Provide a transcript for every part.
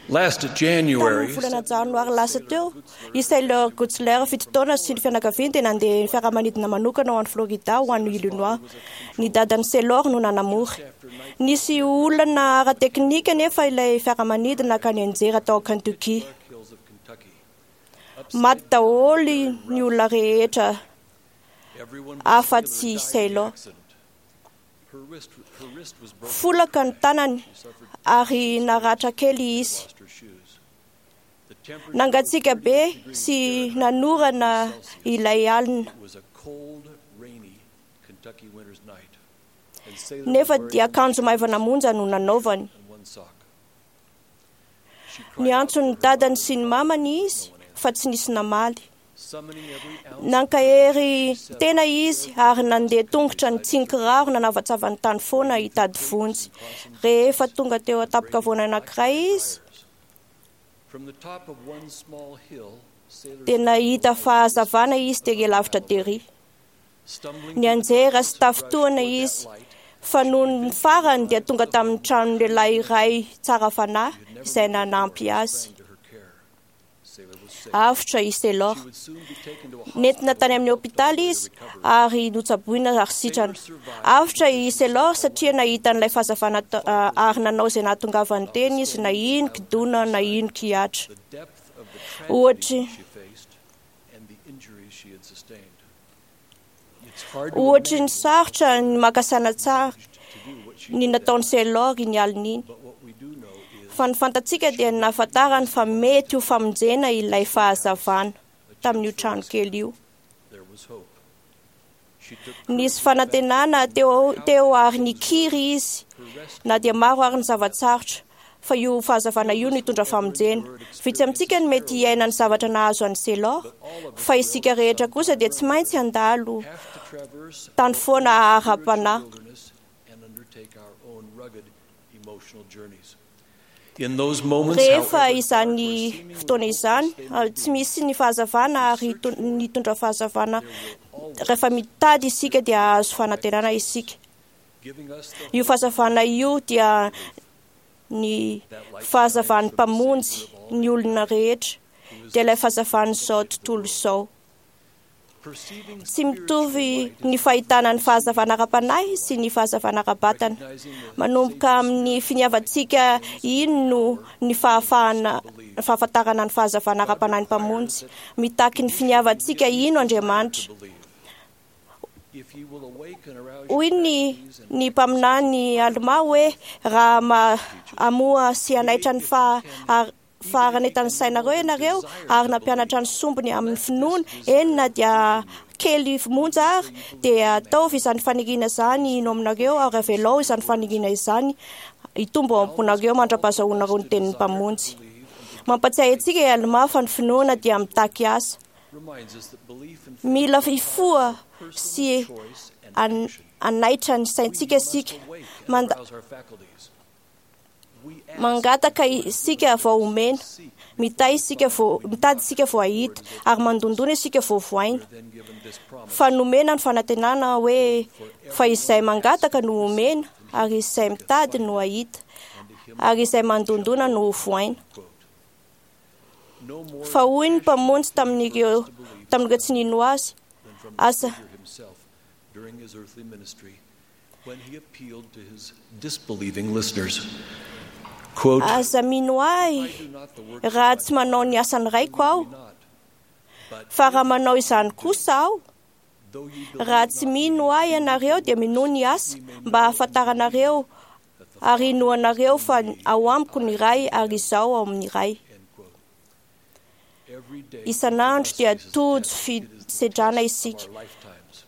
Last January, Tamin'ny volana janoary lasa teo, i Sailor Gutzler 7 taona sy ny fianakaviany dia nandeha ny fiaramanidina manokana ho any Florida ho any Illinois. Ny dadan'i Sailor no nanamory. Nisy olana ara-teknika nefa ilay fiaramanidina ka nianjera tao Kentucky. Hills of Kentucky. Maty daholo ny olona rehetra Everyone afa-tsy died in the Sailor. accident. Her wrist was broken. Folaka ny tanany ary naratra kely izy. Lost her shoes. The temperature Nangatsiaka be sy nanorana ilay alina. was a cold, rainy Kentucky winter's night. And Sailor Nefa was wearing dia akanjo maivana monja no nanaovany. and one sock. She cried out Niantso ny for her dadany mother, sy ny mamany izy fa tsy nisy namaly. summoning every ounce Nankahery tena izy ary nandeha tongotra nitsinkiraro nanavatsava ny tany foana hitady vonjy. Rehefa tonga teo an-tampon-kavoana anankiray izy From the top of one small hill, Sailor dia nahita fahazavana izy tery lavitra tery. stumbling Nianjera sy tafintohana izy fa noho ny farany dia tonga tamin'ny tranon'ny lehilahy iray tsara fanahy izay nanampy azy. to her care. Sailor was safe. Avotra i Sailor. She would soon be taken to a Nentina tany amin'ny hopitaly izy ary notsaboina ary sitrana. Avotra i Sailor satria nahita an'ilay fahazavana ary nanao izay nahatongavany teny izy na ino kidona na ino kihatra. the depth of the tragedy Ohatry she faced and the injuries she had sustained. It's hard to Ohatry ny imagine sarotra ny maka saina tsara to do what she ny did that nataon'i Sailor iny alina iny. But what we do know is Fa ny fantatsika dia ny nahafantarany fa mety ho famonjena ilay fahazavana tamin'io trano kely io. there was hope. She took Nisy fanantenana teo ary nikiry izy her rescue na dia maro ary ny zava-tsarotra fa io fahazavana io no hitondra famonjena. Vitsy amintsika no mety hiaina ny zavatra nahazo an'i Sailor fa isika rehetra kosa dia tsy maintsy handalo have to traverse tany foana ara-panahy. wilderness and undertake our own rugged emotional journeys. In those moments, Rehefa however, izany dark or seemingly fotoana izany, hopeless they may tsy be, misy ny fahazavana ary nitondra fahazavana. there will Rehefa always mitady isika dia hahazo fanantenana isika. giving us the Io fahazavana io dia ny fahazavan'ny mpamonjy ny olona rehetra, dia ilay fahazavan'izao tontolo izao. perceiving Tsy mitovy ny fahitana ny fahazavana ara-panahy sy ny fahazavana ara-batana. Manomboka amin'ny finiavantsika ino no ny fahafahana ny fahafantarana ny fahazavana ara-panahy ny mpamonjy. Mitaky ny finiavantsika ino Andriamanitra. believe. If you will awake and arouse Hoy your ny faculties and ny mpaminany Alma hoe raha hamoha sy hanaitra ny faharanentan'ny sainareo ianareo ary nampianatra ny sombiny amin'ny finoana eny na dia kely monja ary dia ataovy izany faniriana izany ino aminareo ary avelao izany faniriana izany hitombo ao am-ponareo mandra-pahazahoanareo ny tenin'ny mpamonjy. Mampatsiahy antsika i Alma fa ny finoana dia mitaky asa. reminds us that belief and Mila hifoha sy choice and hanaitra ny saintsika We must isika. awake and arouse our faculties. We ask, Mangataka isika vao omena, seek, mitahy isika vao mitady isika vao hahita ary mandondona isika vao voaina. we are then given this promise. Fa nomena ny fanantenana hoe fa izay mangataka no omena ary izay mitady no hahita ary izay mandondona no ho voaina. Quote, No more Fa hoy ny mpamonjy tamin'ireo tsy nino azy, than from the asa Savior himself during his earthly ministry when he appealed to his disbelieving listeners. Quote, aza mino ahy I do not the works raha of tsy manao ny asan'ny raiko aho, my not, but fa raha manao izany kosa aho, though ye believe raha tsy not mino ahy ianareo dia minoa ny asa mba hahafantaranareo that the ary inoanareo fa ao amiko ny Ray ary izaho ao amin'ny Ray. End quote. Every day Isan'andro dia faces a tojo test. It is the fisedrana test of isika. our lifetimes.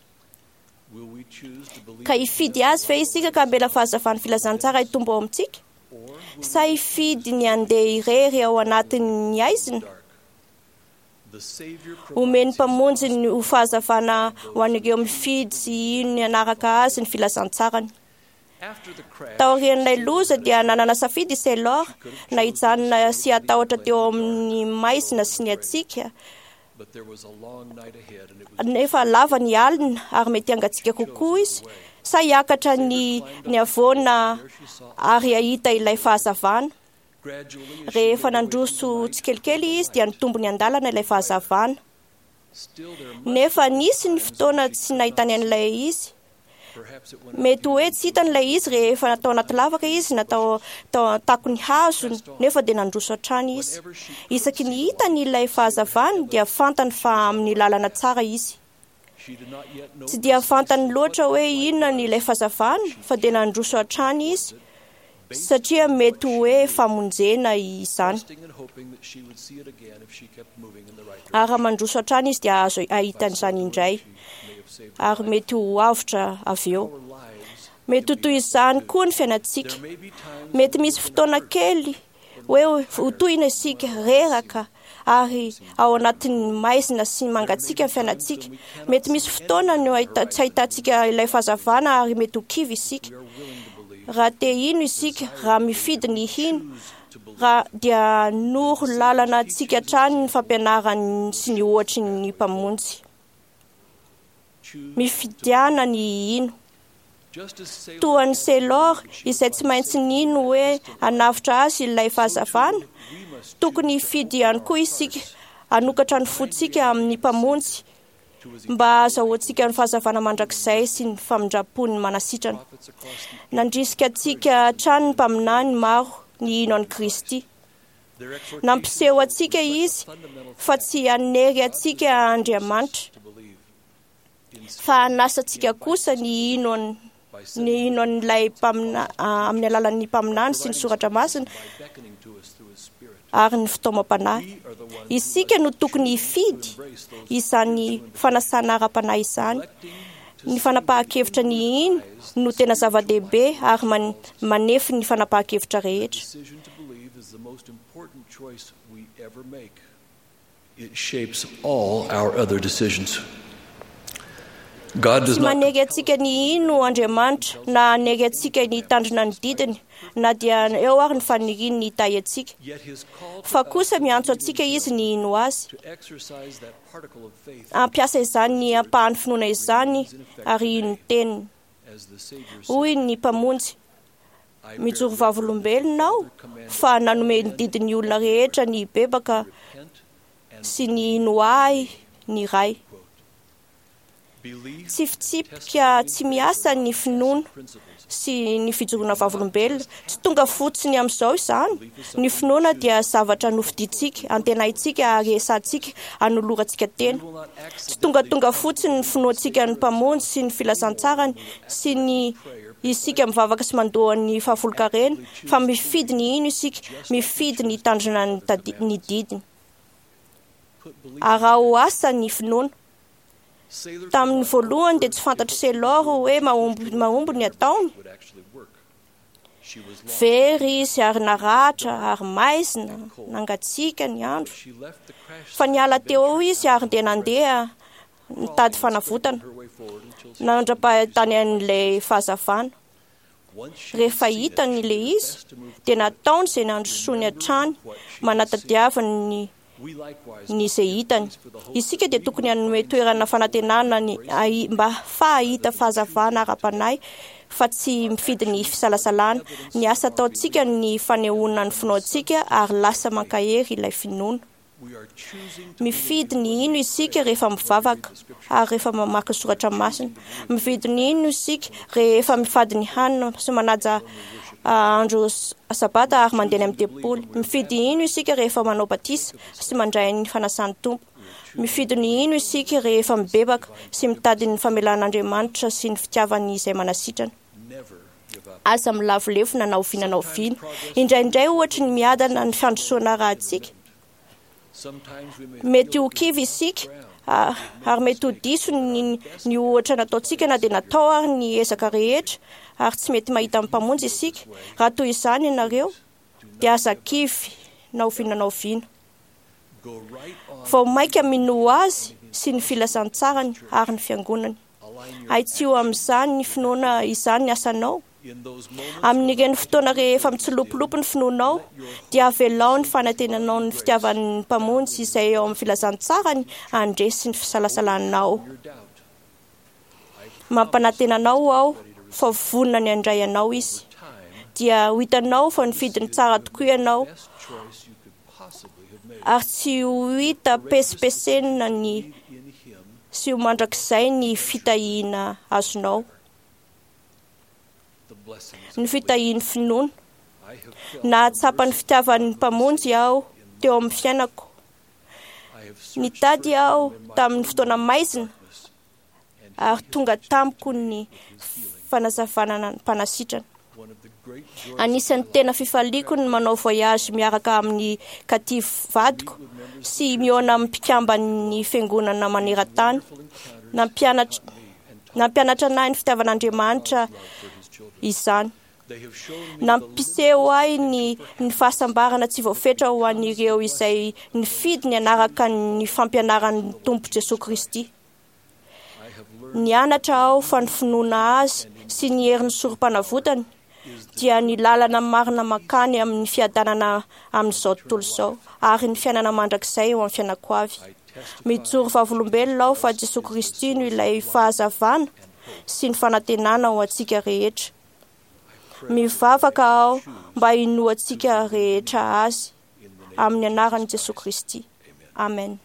Will we choose to believe Ka in hifidy him azy ve isika ka hamela fahazavan'ny filazantsara hitombo ao amintsika? or will Sa hifidy ny handeha irery ao anatin'ny aizina? dark? The Savior Omen'ny provides his mpamonjy ny ho fahazavana ho an'ireo mifidy sy hino ny hanaraka azy ny filazantsarany. After the crash, Taorian'ilay loza dia nanana safidy i Sailor na hijanona sy hatahotra teo amin'ny maizina sy ny hatsiaka but there was a long night ahead and it was nefa lava ny alina ary mety hangatsiaka kokoa izy sa hiakatra ny havoana ary hahita ilay fahazavana. Rehefa nandroso tsikelikely izy dia nitombo ny andalana ilay fahazavana. Nefa nisy ny fotoana tsy nahitany an'ilay izy. Mety hoe tsy hitany ilay izy rehefa natao anaty lavaka izy, natao tao an-takon'ny hazo, nefa dia nandroso hatrany izy. Isaky ny hitany ilay fahazavana dia fantany fa amin'ny lalana tsara izy. Tsy dia fantany loatra hoe inona ny ilay fahazavana fa dia nandroso hatrany izy satria mety hoe famonjena izany. Ary raha mandroso hatrany izy dia azo ahita an'izany indray ary mety ho avotra avy eo. Mety ho toy izany koa ny fiainantsika. Mety misy fotoana kely hoe ho tohina isika, reraka ary ao anatin'ny maizina sy mangatsiaka ny fiainantsika. Mety misy fotoana no tsy ahitantsika ilay fahazavana ary mety ho kivy isika. Raha te hino isika, raha mifidy ny hino, raha dia noro lalana antsika hatrany ny fampianarany sy ny ohatry ny Mpamonjy. Mifidiana ny hino. Toa an'i Sailor izay tsy maintsy nino hoe hanavotra azy ilay fahazavana, tokony hifidy ihany koa isika hanokatra ny fontsika amin'ny Mpamonjy mba hahazahoantsika ny fahazavana mandrakizay sy ny famindram-pony manasitrana. Nandrisika antsika hatrany ny mpaminany maro ny hino an'i Kristy. Nampiseho antsika izy fa tsy hanery antsika Andriamanitra, fa hanasa antsika kosa ny hino ny hino an'ilay amin'ny alalan'ny mpaminany sy ny soratra masina ary ny fitaomam-panahy. Isika no tokony hifidy izany fanasana ara-panahy izany. Ny fanapahan-kevitra ny hino no tena zava-dehibe ary manefy ny fanapahan-kevitra rehetra. It shapes all our other decisions. God does Tsy not manery antsika ny hino Andriamanitra na hanery antsika ny hitandrina ny didiny na dia eo ary ny faniriany ny hitahy antsika. Yet his call to Fa us kosa is miantso to antsika believe izy ny hino azy. to exercise that particle of faith Hampiasa izany ampahan'ny finoana izany ary hino ny teniny. as the Savior Hoy said, ny Mpamonjy, I bear mijoro record vavolombelona aho that the Father commanded fa nanome all ny men didin'ny olona rehetra ny hibebaka to repent and sy ny hino ahy ny Ray. quote. Belief Tsy fitsipika tsy miasa ny finoana principles. sy ny fijoroana vavolombelona. Tsy tonga fotsiny amin'izao izany. Ny finoana dia zavatra nofidintsika, antenaintsika ary esantsika anolorantsika tena. We will not Tsy tongatonga fotsiny ny finoantsika ny Mpamonjy sy ny filazantsarany sy ny isika mivavaka sy mandoa ny fahafolonkarena, fa mifidy ny hino isika, mifidy ny hitandrina ny ny didiny. put belief. Araho asa ny finoana. Sailor Tamin'ny forgot voalohany dia tsy fantatry Sailor hoe mahomby mahomby ny ataony. would actually work. She was lost. Very izy ary naratra ary maizina, nangatsiaka ny andro. She left the crash Fa site niala and teo ventured izy out ary dia nandeha nitady crawling and fanavotana, scraping her way forward until she nandra-pahitany an'ilay fahazavana. Once she Rehefa had seen it, hitany she ilay did her izy, best to move dia toward it. nataony izay nandrosoany hatrany, manatadiavany ny We likewise ny must izay give hitany. place for the hope Isika that dia we tokony will hanome find toerana spiritual fanantenana ny grace mba fahahita fahazavana ara-panahy fa tsy mifidy ny fisalasalana. Ny asa ataontsika ny fanehoana ny finoantsika ary lasa mankahery ilay finoana. We are choosing to Mifidy believe ny when hino we isika pray rehefa and when we read mivavaka the scriptures. ary rehefa mamaky ny soratra masina. Mifidy ny hino isika rehefa mifady ny hanina sy manaja andro sabata ary mandeha any amin'ny tempoly. Mifidy hino isika rehefa manao batisa sy mandray ny fanasan'ny Tompo. Mifidy ny hino isika rehefa mibebaka sy mitady ny famelan'Andriamanitra sy ny fitiavany izay manasitrana. Never give up. Aza milavolefona na oviana na oviana. Indraindray ohatry ny miadana ny fandrosoana rahantsika. Sometimes we may Mety feel ho that kivy we've isika ground. ary mety ho diso ny, ny ohatra nataontsika na dia natao ary ny ezaka rehetra ary tsy mety mahita ny Mpamonjy isika. Raha toy izany ianareo dia aza kivy na oviana na oviana. Go right on. Vao mainka minoa azy sy ny filazantsarany ary ny fiangonany. Align your Ahitsio amin'izany ny finoana izany ny asanao. in those moments Amin'ireny fotoana rehefa mitsilopilopy ny finoanao dia avelao ny fanantenanao ny fitiavan'ny Mpamonjy izay eo amin'ny filazantsarany handresy ny fisalasalanao. your doubt. Mampanantena anao aho fa vonona ny handray anao izy. Time dia ho hitanao fa nifidy ny tsara tokoa ianao, ary tsy ho hita pesipesenina ny sy ho mandrakizay ny fitahiana azonao, ny fitahian'ny finoana. Nahatsapa ny fitiavan'ny Mpamonjy aho teo amin'ny fiainako. Nitady aho tamin'ny fotoana maizina ary tonga tamiko ny fanazavana ny mpanasitrana. Anisan'ny tena fifaliako ny manao voyage miaraka amin'ny Katy vadiko sy mihaona amin'ny mpikamban'ny fiangonana maneran-tany. Nampianatra nampianatra anahy ny fitiavan'Andriamanitra izany. Nampiseho ahy ny ny fahasambarana tsy voafetra ho an'ireo izay nifidy ny hanaraka ny fampianaran'ny Tompo Jesoa Kristy. Nianatra aho fa ny finoana azy sy ny herin'ny sorom-panavotany dia ny lalana marina mankany amin'ny fiadanana amin'izao tontolo izao ary ny fiainana mandrakizay eo amin'ny fiainako avy. Mijoro vavolombelona aho fa Jesoa Kristy no ilay fahazavana sy ny fanantenana ho antsika rehetra. Mivavaka aho mba hinoantsika rehetra azy amin'ny anaran'i Jesoa Kristy. Amen.